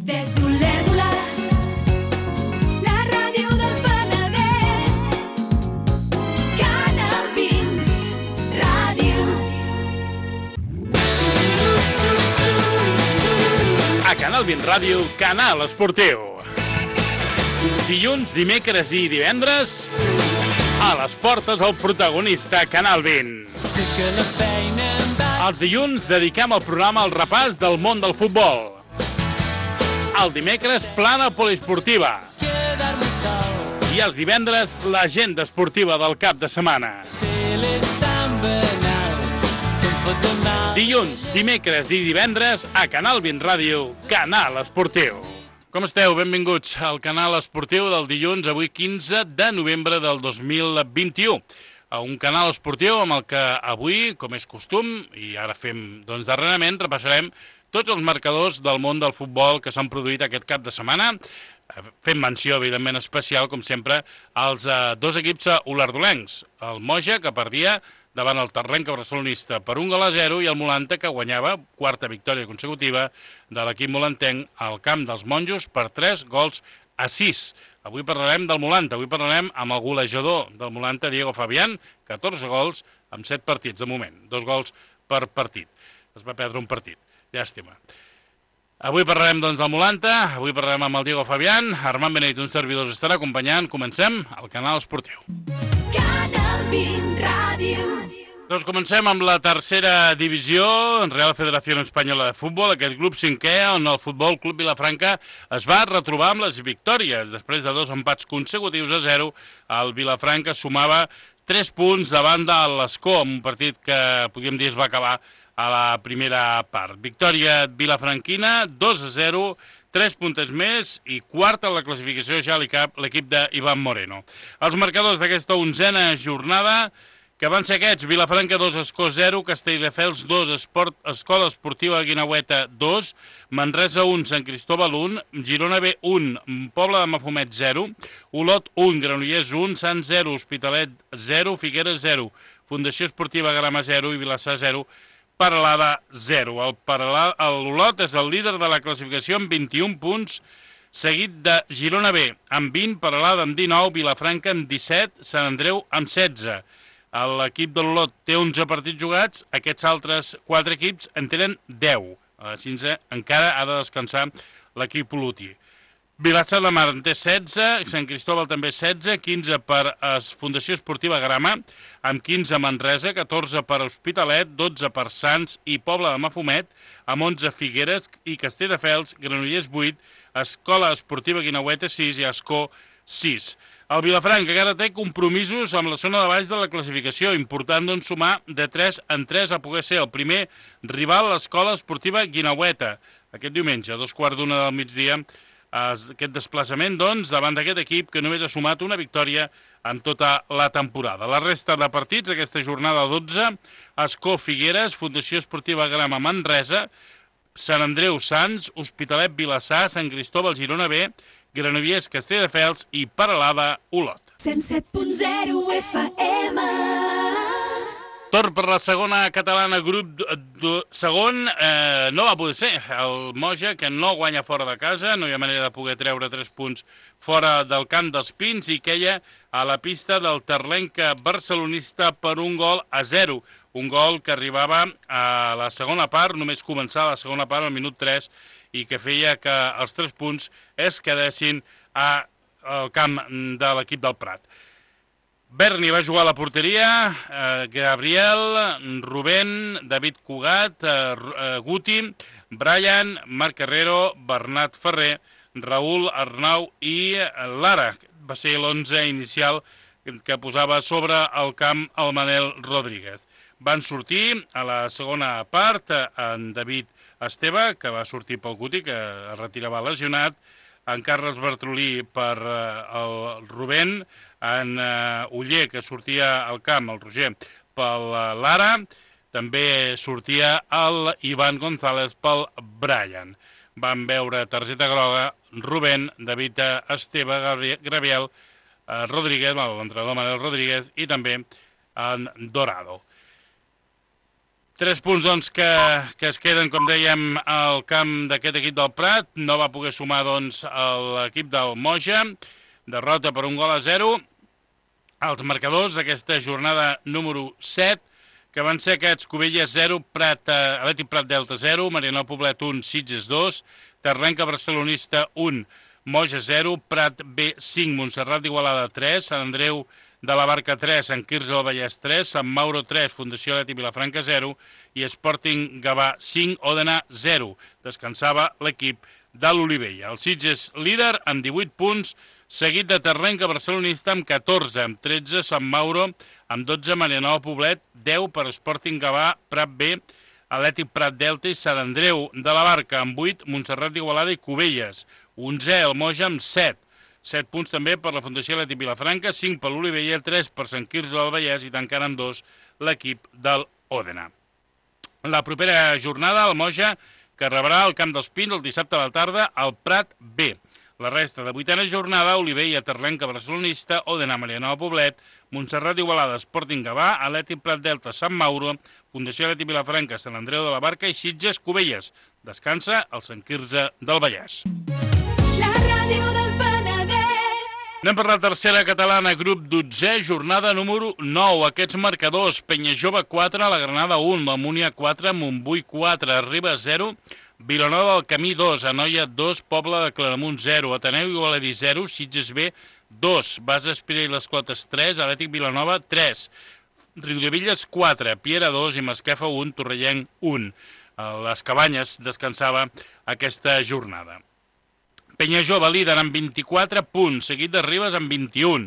Des d'Olèrdola, la ràdio del Penedès, Canal 20 Ràdio. A Canal 20 Ràdio, Canal Esportiu. Dilluns, dimecres i divendres, a les portes el protagonista Canal 20. Els dilluns dediquem el programa al repàs del món del futbol. El dimecres, plana poliesportiva. I els divendres, l'agenda esportiva del cap de setmana. Dilluns, dimecres i divendres, a Canal 20 Ràdio, Canal Esportiu. Com esteu? Benvinguts al Canal Esportiu del dilluns, avui 15 de novembre del 2021. A un canal esportiu amb el que avui, com és costum, i ara fem darrerament, repassarem tots els marcadors del món del futbol que s'han produït aquest cap de setmana. Fem menció, evidentment, especial, com sempre, als dos equips olardolencs. El Moja, que perdia davant el Terlenca barcelonista per 1-0, i el Molanta, que guanyava, quarta victòria consecutiva de l'equip molantenc al camp dels monjos per 3-6. Avui parlarem del Molanta, avui parlarem amb el golejador del Molanta, Diego Fabián, 14 gols en 7 partits de moment, 2 gols per partit. Es va perdre un partit, llàstima. Avui parlarem del Molanta, avui parlarem amb el Diego Fabián, Armand Benedit, un servidor, us estarà acompanyant. Comencem al Canal Esportiu. Canal 20 Ràdio. Doncs comencem amb la tercera divisió, Real Federació Espanyola de Futbol, aquest grup cinquè on el Futbol Club Vilafranca es va retrobar amb les victòries. Després de 2 empats consecutius a 0, el Vilafranca sumava 3 punts davant de l'Escó, un partit que podríem dir es va acabar a la primera part. Victòria vilafranquina, 2-0, 3 puntes més i quarta a la classificació ja l'equip d'Ivan Moreno. Els marcadors d'aquesta 11a jornada, que van ser aquests: Vilafranca 2, Escó 0, Castelldefels 2, Escola Esportiva Guinaueta 2, Manresa 1, Sant Cristóbal 1, Girona B 1, Pobla de Mafumet 0, Olot 1, Granollers 1, Sant 0, Hospitalet 0, Figueres 0, Fundació Esportiva Grama 0 i Vilassar 0, Peralada 0. L'Olot és el líder de la classificació amb 21 punts, seguit de Girona B amb 20, Peralada amb 19, Vilafranca amb 17, Sant Andreu amb 16. L'equip de l'Olot té 11 partits jugats, aquests altres 4 equips en tenen 10. Així encara ha de descansar l'equip Oluti. Vilassar de Mar en té 16, Sant Cristóbal també 16, 15 per Fundació Esportiva Grama, amb 15 Manresa, 14 per Hospitalet, 12 per Sants i Pobla de Mafumet, amb 11 Figueres i Castelldefels, Granollers 8, Escola Esportiva Guinaueta 6 i Escó 6. El Vilafranca encara té compromisos amb la zona de baix de la classificació, important sumar de 3 en 3 a poder ser el primer rival a l'Escola Esportiva Guinaueta. Aquest diumenge, a 2:15 del migdia, aquest desplaçament, davant d'aquest equip que només ha sumat una victòria en tota la temporada. La resta de partits, aquesta jornada 12, Escó Figueres, Fundació Esportiva Grama Manresa, Sant Andreu Sants, Hospitalet Vilassar, Sant Cristóbal Girona B, Granollers Castelldefels i Peralada Olot. 107.0 FM. Torn per la segona catalana, grup segon, no va poder ser. El Moja, que no guanya fora de casa, no hi ha manera de poder treure 3 punts fora del camp dels Pins, i queia a la pista del Terlenca barcelonista per 1-0. Un gol que arribava a la segona part, només començar la segona part al minut 3, i que feia que els 3 punts es quedessin al camp de l'equip del Prat. Berni va jugar a la porteria, Gabriel, Rubén, David Cugat, Guti, Brian, Marc Herrero, Bernat Ferrer, Raül Arnau i Lara. Va ser l'11 inicial que posava sobre el camp el Manel Rodríguez. Van sortir a la segona part en David Esteve, que va sortir pel Guti, que es retirava lesionat, en Carles Bartrolí per el Rubén, en Uller, que sortia al camp, el Roger, pel Lara, també sortia el Ivan González pel Brian. Van veure targeta groga Rubén, David Esteve, Gabriel Rodríguez, l'entrenador Manel Rodríguez, i també en Dorado. 3 punts doncs, que es queden, com dèiem, al camp d'aquest equip del Prat. No va poder sumar doncs, l'equip del Moja. Derrota per 1-0. Els marcadors d'aquesta jornada número 7, que van ser aquests: Cubelles 0, Atlètic Prat Delta 0, Marianao Poblet 1, Sitges 2, Terrenca Barcelonista 1, Moja 0, Prat B 5, Montserrat d'Igualada 3, Sant Andreu de la Barca 3, Sant Quirze del Vallès 3, Sant Mauro 3, Fundació Atlètic Vilafranca 0 i Sporting Gavà 5, Òdena 0. Descansava l'equip de l'Olivella. El Sitges líder amb 18 punts, seguit de Terrenca Barcelonista amb 14, amb 13 Sant Mauro, amb 12 Marianao Poblet, 10 per Sporting Gavà, Prat B, Atlètic Prat Delta i Sant Andreu de la Barca amb 8, Montserrat d'Igualada i Cubelles, 11 el Moja amb 7. 7 punts també per la Fundació Atlètic Vilafranca, 5 per l'Olivella, 3 per Sant Quirze del Vallès i tancant amb 2 l'equip del Òdena. La propera jornada, el Moja, que rebrà al Camp dels Pins el dissabte a la tarda al Prat B. La resta de 8a jornada, Olivella, Terrenca Barcelonista, Òdena, Marianao Poblet, Montserrat d'Igualada, Sporting Gavà, Atlètic Prat Delta, Sant Mauro, Fundació Atlètic Vilafranca, Sant Andreu de la Barca i Sitges, Cubelles. Descansa el Sant Quirze del Vallès. La ràdio del Penedès. Anem per la tercera catalana, grup 12è, jornada número 9. Aquests marcadors: Penyajove 4, la Granada 1, la Múnia 4, Montbui 4, Ribes 0, Vilanova del Camí 2, Anoia 2, Pobla de Claramunt 0, Ateneu Igualadí 0, Sitges B 2, Basa Espira i les Clotes 3, Atlètic Vilanova 3, Riudevilles 4, Piera 2 i Masquefa 1, Torrellenc 1. Les Cabanyes descansava aquesta jornada. Penyajove líder amb 24 punts, seguit de Ribes amb 21.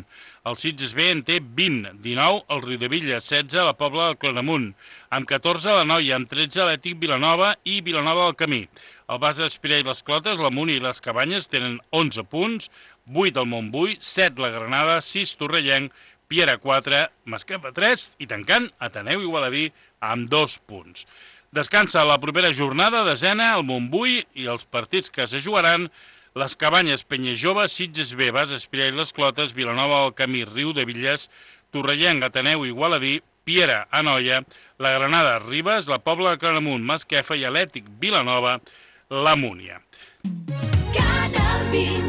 El Sitges B en té 20, 19 el Riudevilles, 16 la Pobla del Claramunt, amb 14 la Noia, amb 13 l'Atlètic Vilanova i Vilanova del Camí. El Basa d'Espirà i les Clotes, la Múnia i les Cabanyes tenen 11 punts, 8 el Montbui, 7 la Granada, 6 Torrellenc, Piera 4, Masquefa 3 i tancant Ateneu Igualadí amb 2 punts. Descansa la propera jornada, desena, el Montbui i els partits que se jugaran: les Cabanyes, Penyajove, Sitges B, Basa Espirà i les Clotes, Vilanova del Camí, Riudevilles, Torrellenc, Ateneu Igualadí, Piera, Anoia, la Granada, Ribes, la Pobla de Claramunt, Masquefa i Atlètic Vilanova, la Múnia. Canal 20.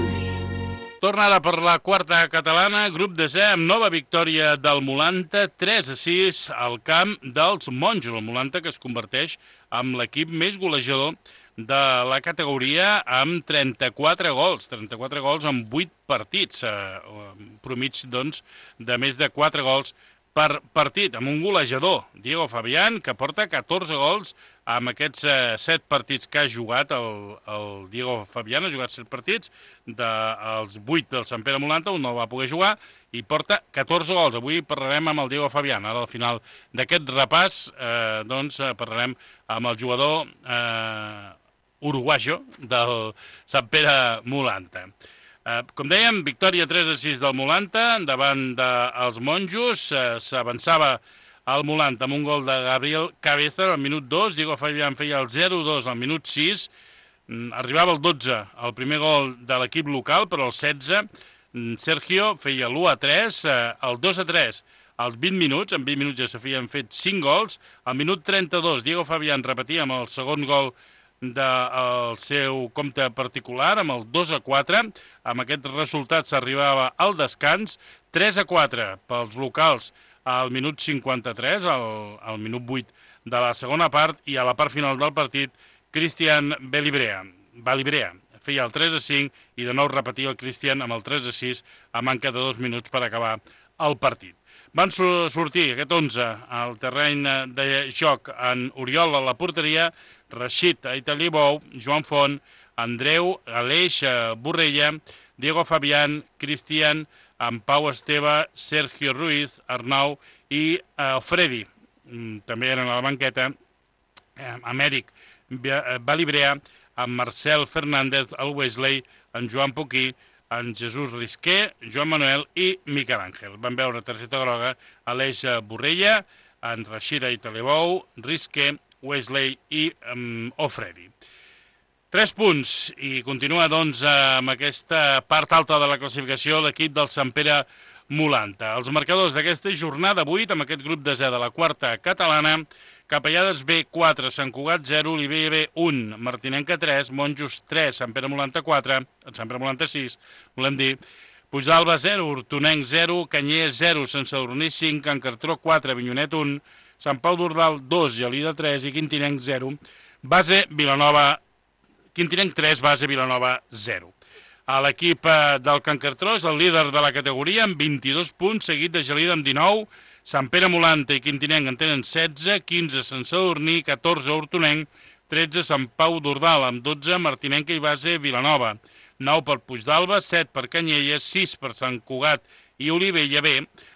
Torna ara per la quarta catalana, grup 10è, amb nova victòria del Molanta, 3-6 al camp dels Monjos. El Molanta, que es converteix en l'equip més golejador de la categoria amb 34 gols en 8 partits, promig doncs, de més de 4 gols per partit, amb un golejador, Diego Fabián, que porta 14 gols amb aquests 7 partits que ha jugat. El Diego Fabián ha jugat 7 partits, dels 8 del Sant Pere Molanta, un no va poder jugar, i porta 14 gols. Avui parlarem amb el Diego Fabián. Ara, al final d'aquest repàs, doncs, parlarem amb el jugador uruguayo del Sant Pere Molanta. Com dèiem, victòria 3-6 del Molanta davant dels Monjos. S'avançava el Molanta amb un gol de Gabriel Cabeza al minut 2, Diego Fabián feia el 0-2 al minut 6, arribava el 12 el primer gol de l'equip local, però el 16 Sergio feia l'1-3, el 2-3 als 20 minuts, en 20 minuts ja s'havien fet 5 gols, al minut 32 Diego Fabián repetia amb el segon gol del seu compte particular, amb el 2-4. Amb aquest resultat s'arribava al descans, 3-4 pels locals al minut 53, al minut 8 de la segona part, i a la part final del partit Cristian Balibrea feia el 3-5 i de nou repetia el Cristian amb el 3-6 a manca de 2 minuts per acabar el partit. Van sortir aquest 11 al terreny de joc en Oriol a la porteria, Rashid Aitalibou, Joan Font, Andreu, Aleix Borrella, Diego Fabián, Cristian, amb Pau Esteve, Sergio Ruiz, Arnau i Freddy. També eren a la banqueta Amèric Balibrea, amb Marcel Fernández, el Wesley, en Joan Poquí, en Jesús Risqué, Joan Manuel i Miquel Àngel. Van veure targeta groga Aleix Borrella, en Rashid Aitalibou, Risqué, Wesley i Ofredi. 3 punts i continua doncs amb aquesta part alta de la classificació l'equip del Sant Pere Molanta. Els marcadors d'aquesta jornada 8, amb aquest grup de Z de la quarta catalana: Capellades B 4, Sant Cugat 0, Olivella B 1, Martinenca 3, Monjos 3, Sant Pere Molanta 4, Sant Pere Molanta 6, volem dir, Puigdàlber 0, Hortonenc 0, Canyelles 0, Sant Sadurní 5, Can Cartró 4, Avinyonet 1, Sant Pau d'Ordal 2, Gelida 3 i Quintinenc 0, Quintinenc 3, Base Vilanova 0. L'equip del Can Cartró és el líder de la categoria amb 22 punts, seguit de Gelida amb 19, Sant Pere Molanta i Quintinenc en tenen 16, 15 Sant Sadurní, 14 Hortonenc, 13 Sant Pau d'Ordal amb 12, Martinenca i Base Vilanova, 9 per Puigdàlber, 7 per Canyelles, 6 per Sant Cugat i Olivella B,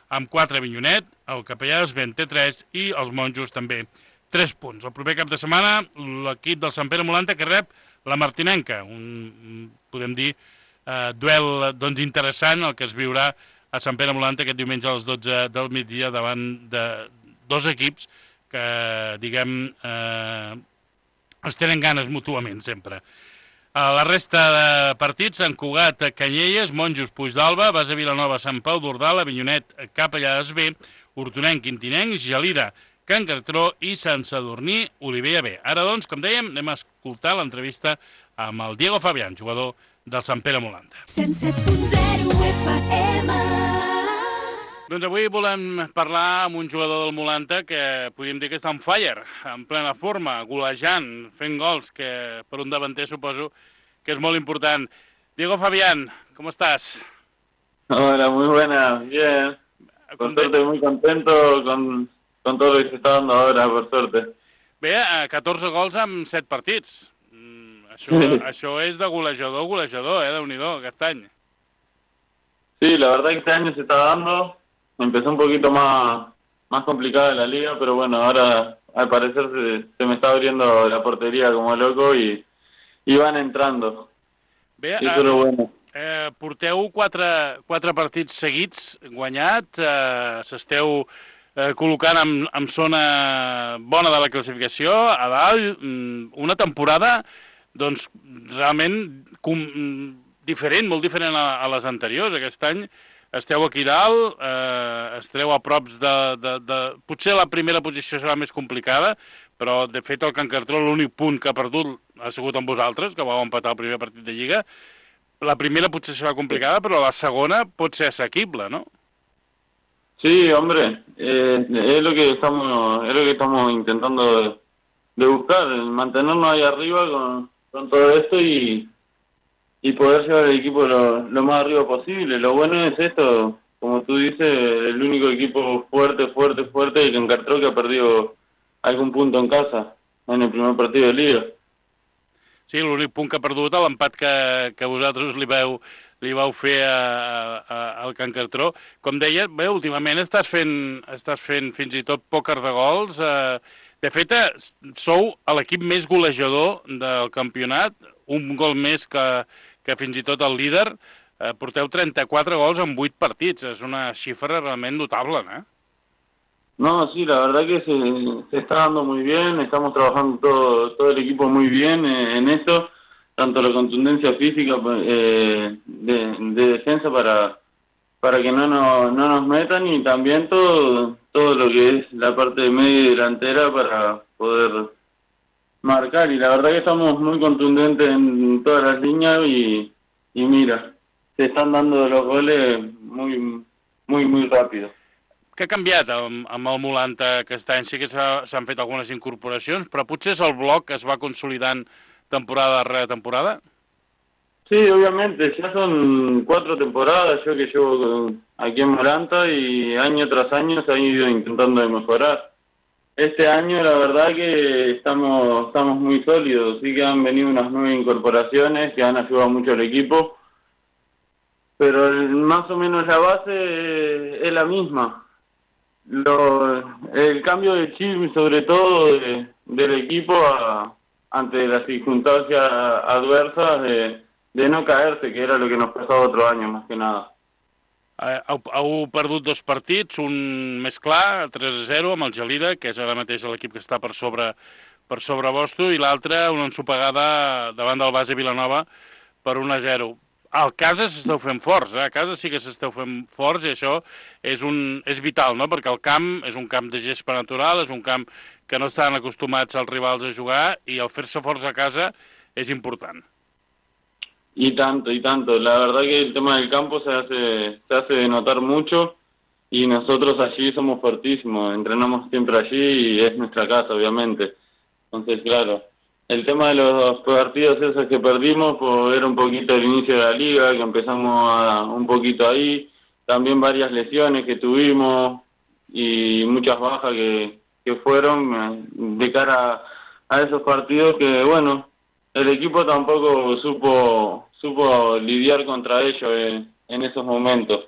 amb 4 Avinyonet, el Capellades B en té 3 i els Monjos també 3 punts. El proper cap de setmana l'equip del Sant Pere Molanta que rep la Martinenca, podem dir, duel interessant el que es viurà a Sant Pere Molanta aquest diumenge a les 12 del migdia davant de dos equips que, diguem, es tenen ganes mútuament sempre. La resta de partits: Sant Cugat, Canyelles, Monjos, Puigdàlber, Base Vilanova, Sant Pau d'Ordal, Avinyonet, Capellades B, Hortonenc, Quintinenc, Gelida, Can Cartró i Sant Sadurní, Olivella B. Ara, doncs, com dèiem, anem a escoltar l'entrevista amb el Diego Fabián, jugador del Sant Pere Molanta. 107.0 FM. Doncs avui volem parlar amb un jugador del Molanta que podríem dir que està on fire, en plena forma, golejant, fent gols, que per un davanter suposo que es molt important. Diego Fabián, ¿cómo estás? Hola, muy buena, bien. Por suerte, muy contento con todo lo que se está dando ahora, por suerte. Bé, 14 gols en 7 partits. Això és de golejador, Déu-n'hi-do, aquest any. Sí, la verdad que este año se está dando. Empezó un poquito más complicada la liga, pero bueno, ahora al parecer se me está abriendo la portería como loco y van entrando. Bé, sí, però bueno. Porteu 4 partits seguits guanyats, s'esteu col·locant en zona bona de la classificació, a dalt, una temporada doncs realment diferent, molt diferent a les anteriors. Aquest any esteu aquí dalt, esteu a props de... Potser la primera posició serà més complicada, però de fet el Can Cartró l'únic punt que ha perdut ha sigut amb vosaltres, que vau empatar el primer partit de Lliga. La primera potser serà complicada, però la segona pot ser assequible, ¿no? Sí, hombre, es lo que estamos intentando de buscar, mantenernos ahí arriba con todo esto y poder llevar el equipo lo más arriba posible. Lo bueno es esto, como tú dices, el único equipo fuerte y que encartró que ha perdido algún punto en casa en el primer partido de Liga. Sí, l'únic punt que ha perdut, l'empat que vosaltres li vau fer al Can Cartró. Com deia, bé, últimament estàs fent fins i tot pòquer de gols. De fet, sou l'equip més golejador del campionat, un gol més que fins i tot el líder. Porteu 34 gols en 8 partits. És una xifra realment notable, ¿no? No, sí, la verdad que se está dando muy bien, estamos trabajando todo el equipo muy bien en eso, tanto la contundencia física de defensa para que no nos metan y también todo lo que es la parte de media y delantera para poder marcar. Y la verdad que estamos muy contundentes en todas las líneas y mira, se están dando los goles muy rápido. Què ha canviat amb el Molanta aquest any? Sí que s'han fet algunes incorporacions, però potser és el bloc que es va consolidant temporada darrere temporada? Sí, obviamente, ya son 4 temporadas yo que llevo aquí en Molanta y año tras año se han ido intentando de mejorar. Este año la verdad que estamos muy sólidos, sí que han venido unas nuevas incorporaciones que han ayudado mucho al equipo, pero más o menos la base es la misma. El cambio de chip, sobre todo del equipo ante las circunstancias adversas de no caerse, que era lo que nos pasaba otro año, más que nada. Heu perdut 2 partits, un més clar, 3-0, amb el Gelida, que és ara mateix l'equip que està per sobre vostre, i l'altre una ensopegada davant del Base Vilanova per 1-0. al casa s'esteu fent forts, a casa sí que s'esteu fent forts i això és vital, no? Perquè el camp és un camp de gespa natural, és un camp que no estan acostumats els rivals a jugar i el fer-se forts a casa és important. Y tanto, y tanto. La verdad que el tema del campo se hace notar mucho y nosotros allí somos fuertísimos, entrenamos siempre allí y es nuestra casa, obviamente. Entonces, claro, el tema de los partidos esos que perdimos, pues era un poquito el inicio de la liga, que empezamos un poquito ahí, también varias lesiones que tuvimos y muchas bajas que fueron de cara a esos partidos que, bueno, el equipo tampoco supo lidiar contra ellos en esos momentos.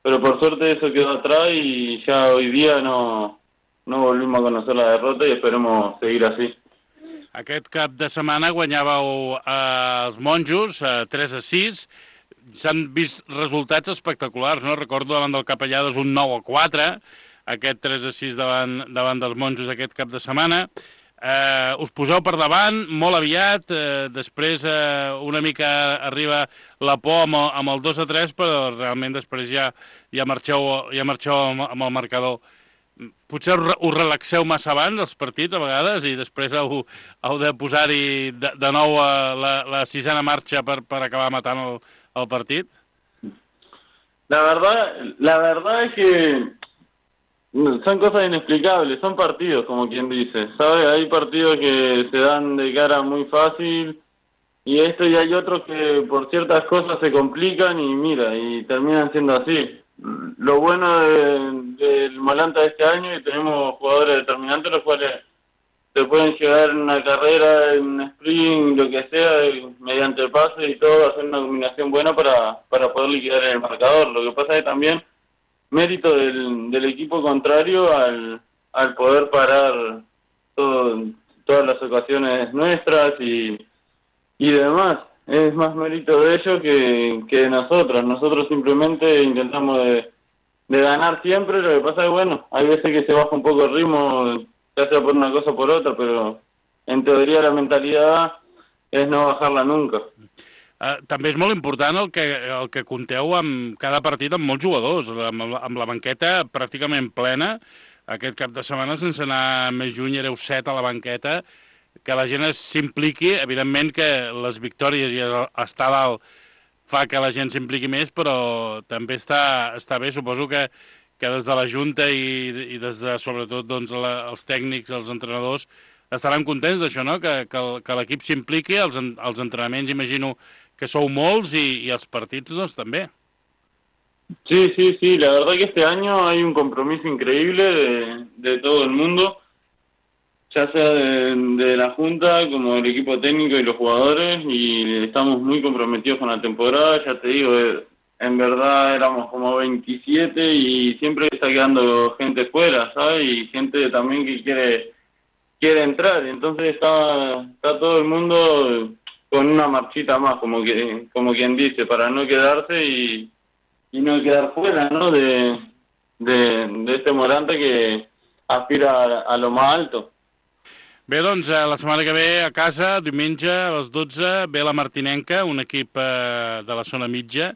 Pero por suerte eso quedó atrás y ya hoy día no volvimos a conocer la derrota y esperemos seguir así. Aquest cap de setmana guanyàveu els monjos 3-6. S'han vist resultats espectaculars, no? Recordo davant del Capellades un 9-4, aquest 3-6 davant dels monjos aquest cap de setmana. Us poseu per davant molt aviat, després una mica arriba la por amb el 2-3, però realment després ja marxeu amb el marcador. Potser us relaxeu massa abans els partits a vegades i després heu de posar-hi de nou la sisena marxa per acabar matant el partit? La verdad es que son cosas inexplicables, son partidos, como quien dice, ¿sabes? Hay partidos que se dan de cara muy fácil y hay otros que por ciertas cosas se complican y mira, y terminan siendo así. Lo bueno del Malanta de este año es que tenemos jugadores determinantes los cuales se pueden llegar en una carrera, en un sprint, lo que sea, mediante pase y todo, hacer una combinación buena para poder liquidar en el marcador. Lo que pasa es que también mérito del equipo contrario al poder parar todas las ocasiones nuestras y demás. Es más mérito de ellos que de nosotros. Nosotros simplemente intentamos de ganar siempre. Lo que pasa es que, bueno, hay veces que se baja un poco el ritmo, ya sea por una cosa o por otra, pero en teoría la mentalidad és no bajar-la nunca. També és molt important el que compteu amb cada partit amb molts jugadors, amb la banqueta pràcticament plena. Aquest cap de setmana, sense anar més lluny, éreu 7 a la banqueta. Que la gent s'impliqui, evidentment que les victòries i estar dalt fa que la gent s'impliqui més, però també està bé, suposo que des de la Junta i des de, sobretot, doncs, els tècnics, els entrenadors, estaran contents d'això, no? Que l'equip s'impliqui, els entrenaments imagino que sou molts i els partits, doncs, també. Sí, la verdad que este año hay un compromiso increíble de todo el mundo, ya sea de la Junta como del equipo técnico y los jugadores, y estamos muy comprometidos con la temporada. Ya te digo, en verdad éramos como 27 y siempre está quedando gente fuera, ¿sabes? Y gente también que quiere entrar, entonces está todo el mundo con una marchita más, como quien dice, para no quedarse y no quedar fuera, ¿no? De este Morante que aspira a lo más alto. Bé, doncs, la setmana que ve a casa, diumenge a les 12, ve la Martinenca, un equip de la zona mitja,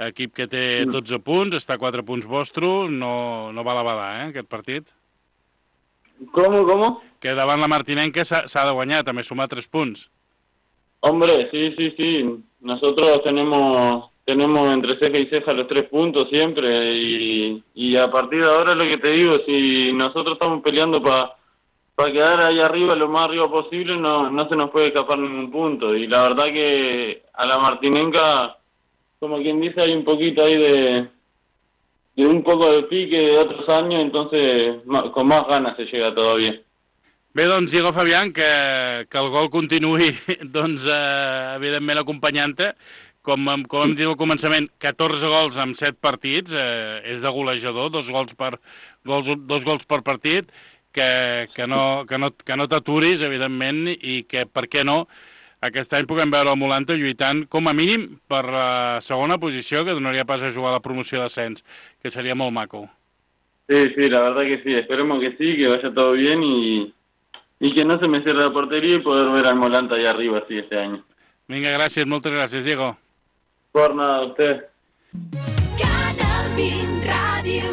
equip que té 12 punts, està a 4 punts vostre, no va a la badar, aquest partit. ¿Cómo? Que davant la Martinenca s'ha de guanyar, també sumar 3 punts. Hombre, sí. Nosotros tenemos entre ceja y ceja los 3 puntos siempre y a partir de ahora lo que te digo, si nosotros estamos peleando para quedar ahí arriba, lo más arriba posible, no se nos puede escapar ningún punto. Y la verdad que a la Martinenca, como quien dice, hay un poquito ahí de un poco de pique de otros años, entonces con más ganas se llega todavía. Bé, doncs, Diego Fabián, que el gol continuï, doncs, evidentment, acompanyant-te. Com hem dit al començament, 14 gols en 7 partits, és de golejador, 2 gols per partit, que no t'aturis, evidentment, i que, per què no, aquest any puguem veure el Molanta lluitant, com a mínim, per la segona posició, que donaria pas a jugar a la promoció d'ascens, que seria molt maco. Sí, la verdad que sí, esperemos que sí, que vaya todo bien y que no se me cierre la portería y poder ver al Molanta allá arriba, sí, este año. Vinga, gràcies, moltes gràcies, Diego. por nada, a ustedes. Canal 20 Ràdio.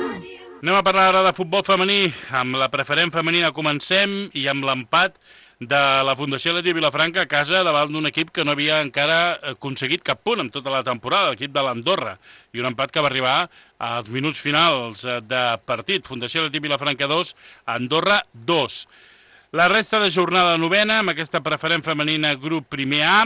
Anem a parlar ara de futbol femení. Amb la preferent femenina comencem i amb l'empat de la Fundació Atlètic Vilafranca a casa davant d'un equip que no havia encara aconseguit cap punt en tota la temporada, l'equip de l'Andorra, i un empat que va arribar als minuts finals de partit. Fundació Atlètic Vilafranca 2, Andorra 2. La resta de jornada novena, amb aquesta preferent femenina grup primer A,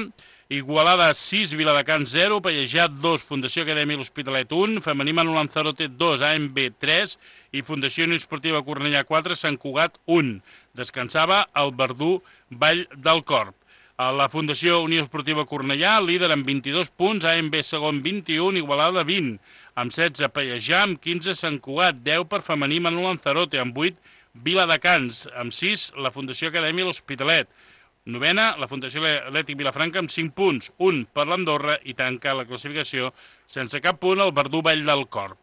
Igualada 6, Viladecans 0, Pallejà 2, Fundació Acadèmia l'Hospitalet 1, Femení Manu Lanzarote 2, AMB 3 i Fundació Unió Esportiva Cornellà 4, Sant Cugat 1. Descansava el Verdú Vall del Corp. La Fundació Unió Esportiva Cornellà, líder amb 22 punts, AMB segon 21, Igualada 20, amb 16 Pallejà, amb 15 Sant Cugat, 10 per Femení Manu Lanzarote, amb 8 Viladecans, amb 6 la Fundació Acadèmia l'Hospitalet. Novena, la Fundació Atlètic Vilafranca amb 5 punts, 1 per l'Andorra i tanca la classificació sense cap punt el Verdú Vall del Corp.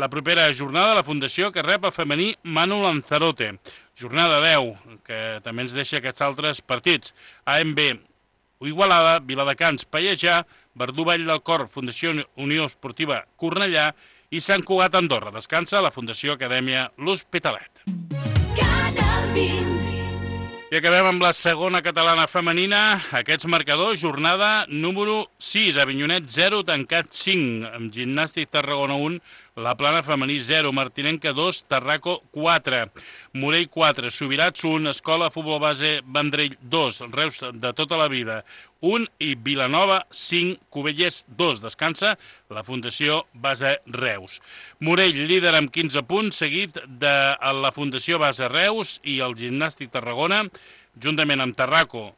La propera jornada, la Fundació que rep el femení Manu Lanzarote. Jornada 10, que també ens deixa aquests altres partits. AMB, Igualada, Viladecans, Pallejà, Verdú Vall del Corp, Fundació Unió Esportiva Cornellà i Sant Cugat Andorra. Descansa la Fundació Acadèmia l'Hospitalet. Canal 20. I acabem amb la segona catalana femenina. Aquests marcadors, jornada número 6, Avinyonet 0, Tancat 5, amb Gimnàstic Tarragona 1, La Plana femení 0, Martinenca 2, Tarraco 4, Morell 4, Subirats 1, Escola Futbol Base Vendrell 2, Reus de tota la vida 1 i Vilanova 5, Cubelles 2. Descansa la Fundació Base Reus. Morell, líder amb 15 punts, seguit de la Fundació Base Reus i el Gimnàstic Tarragona, juntament amb Tarraco,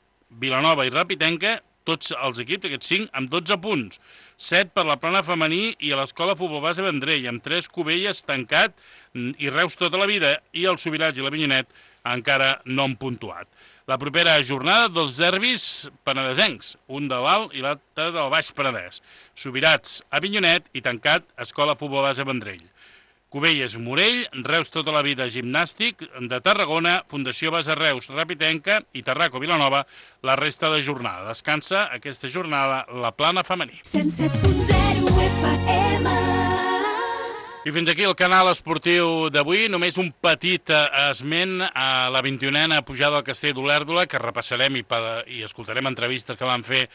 Vilanova i Rapitenca, tots els equips, aquests 5, amb 12 punts. 7 per la Plana femení i a l'Escola Futbol Base Vendrell, amb 3 Cubelles, Tancat i Reus tota la vida, i el Subirats i l'Avinyonet encara no han puntuat. La propera jornada, 2 derbis penedesencs, un de l'Alt i l'altre del Baix Penedès. Subirats, Avinyonet i Tancat, Escola Futbol Base Vendrell. Cubelles, Morell, Reus tota la vida, Gimnàstic de Tarragona, Fundació Base Reus, Rapitenca i Tarraco Vilanova la resta de jornada. Descansa aquesta jornada la Plana femení. 107.0 FM. I fins aquí el canal esportiu d'avui. Només un petit esment a la 21a pujada al Castell d'Olèrdola, que repassarem i escoltarem entrevistes que van fer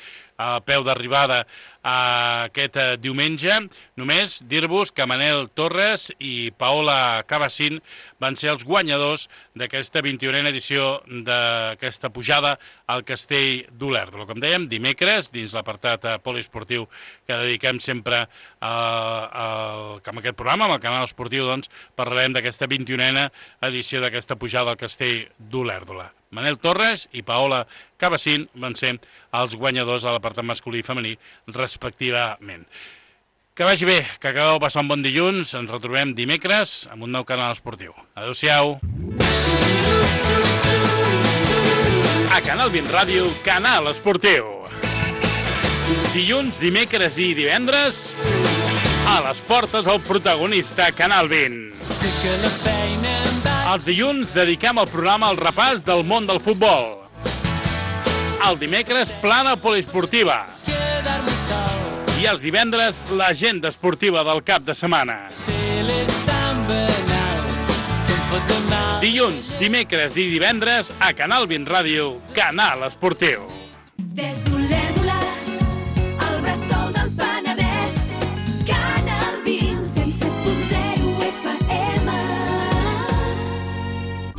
a peu d'arribada aquest diumenge. Només dir-vos que Manel Torres i Paola Cabassin van ser els guanyadors d'aquesta 21a edició d'aquesta pujada al Castell d'Olèrdola. Com dèiem, dimecres, dins l'apartat poliesportiu que dediquem sempre amb aquest programa, amb el canal esportiu, doncs, parlarem d'aquesta 21a edició d'aquesta pujada al Castell d'Olèrdola. Manel Torres i Paola Cabassin van ser els guanyadors a l'apartat masculí i femení, respectivament. Que vagi bé, que acabeu passar un bon dilluns. Ens retrobem dimecres amb un nou canal esportiu. Adéu-siau. A Canal 20 Ràdio, canal esportiu. Dilluns, dimecres i divendres, a les portes el protagonista Canal 20. Els dilluns dediquem el programa al repàs del món del futbol. El dimecres, plana poliesportiva. I els divendres, l'agenda esportiva del cap de setmana. Dilluns, dimecres i divendres, a Canal 20 Ràdio, canal esportiu.